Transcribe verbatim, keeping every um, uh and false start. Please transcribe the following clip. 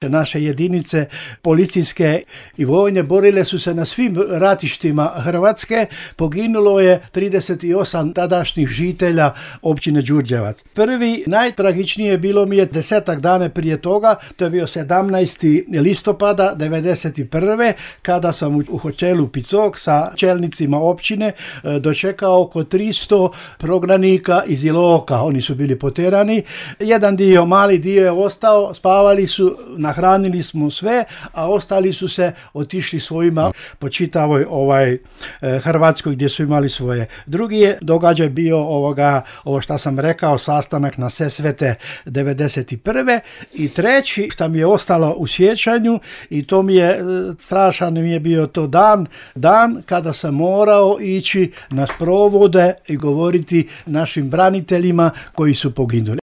Naše jedinice policijske i vojne borile su se na svim ratištima Hrvatske. Poginulo je trideset osam tadašnjih žitelja općine Đurđevac. Prvi, najtragičnije bilo mi je desetak dana prije toga, to je bio sedamnaesti listopada devedeset prve. kada sam u hotelu Picok sa čelnicima općine dočekao oko tristo prognanika iz Iloka. Oni su bili poterani. Jedan dio, mali dio je ostao, spavali su, nahranili smo sve, a ostali su se otišli svojima po čitavoj ovaj, Hrvatskoj gdje su imali svoje. Drugi je događaj bio ovoga, ovo što sam rekao, sastanak na Sesvete devedeset prve. I treći što mi je ostalo u sjećanju, i to mi je strašan mi je bio to dan, dan kada sam morao ići na sprovode i govoriti našim braniteljima koji su poginuli.